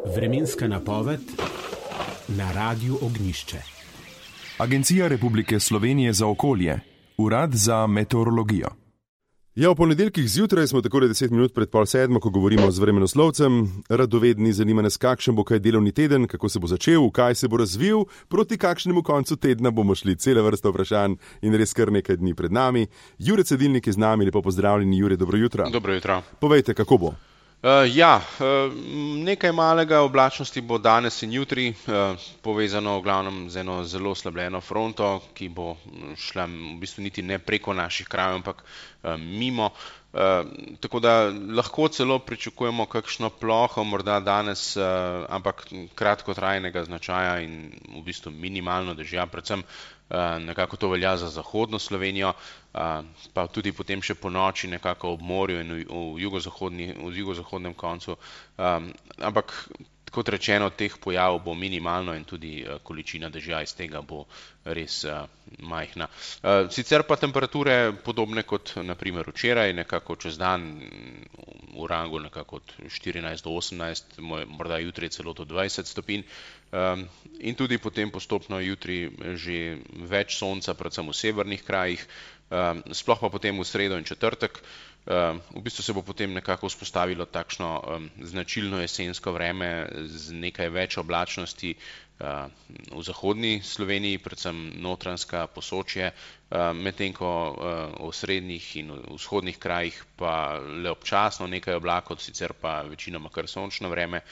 Vremenska napoved na Radiu Ognjišče. Agencija Republike Slovenije za okolje, Urad za meteorologijo. Ja, v ponedeljkih zjutraj smo takole 10 minut pred 6:30, ko govorimo z vremenoslovcem. Radovedni, zanima nas, kakšen bo kaj delovni teden, kako se bo začel, kaj se bo razvil, proti kakšnemu koncu tedna bomo šli. Cela vrsta vprašanj in res kar nekaj dni pred nami. Jure Cedilnik je z nami, lepo pozdravljeni. Jure, dobro jutro. Dobro jutro. Povejte, kako bo? Nekaj malega oblačnosti bo danes in jutri, povezano v glavnem z eno zelo oslabljeno fronto, ki bo šla v bistvu niti ne preko naših krajev, ampak mimo. Tako da lahko celo pričakujemo kakšno ploho, morda danes, ampak kratkotrajnega značaja in v bistvu minimalno dežja, predvsem nekako to velja za zahodno Slovenijo, pa tudi potem še po noči nekako ob morju in v jugozahodnem koncu, ampak kot rečeno, teh pojavov bo minimalno in tudi količina dežja iz tega bo res majhna. Sicer pa temperature podobne kot naprimer včeraj, nekako čez dan v rangu nekako od 14 do 18, morda jutri celo do 20 stopinj. In tudi potem postopno jutri že več sonca, predvsem v severnih krajih, sploh pa potem v sredo in četrtek. V bistvu se bo potem nekako vzpostavilo takšno značilno jesensko vreme z nekaj več oblačnosti v zahodni Sloveniji, predvsem Notranjska, Posočje, medtem ko v srednjih in vzhodnih krajih pa le občasno nekaj oblakov, sicer pa večinoma kar sončno vreme,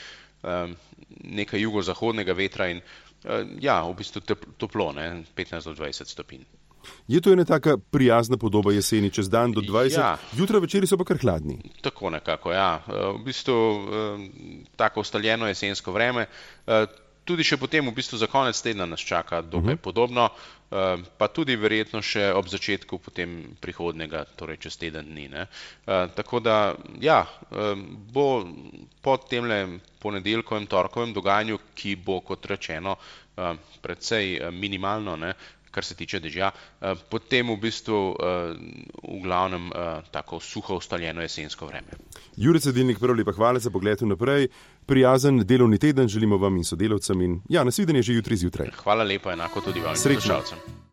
nekaj jugozahodnega vetra in v bistvu toplo, 15 do 20 stopinj. Je to ena taka prijazna podoba jeseni, čez dan do 20, Ja. jutra večeri so pa kar hladni. Tako nekako, ja. V bistvu tako ustaljeno jesensko vreme. Tudi še potem v bistvu za konec tedna nas čaka dokaj podobno, pa tudi verjetno še ob začetku potem prihodnega, torej čez teden dni, ne. Tako da, bo po temle ponedeljkovem, torkovem dogajanju, ki bo, kot rečeno, precej minimalno, ne, kar se tiče dežja, potem v bistvu v glavnem tako suho ustaljeno jesensko vreme. Jure Cedilnik, prav lepa hvala za pogled vnaprej. Prijazen delovni teden želimo vam in sodelavcem in nasvidenje že jutri zjutraj. Hvala lepa, enako tudi vam in Srečno. poslušalcem.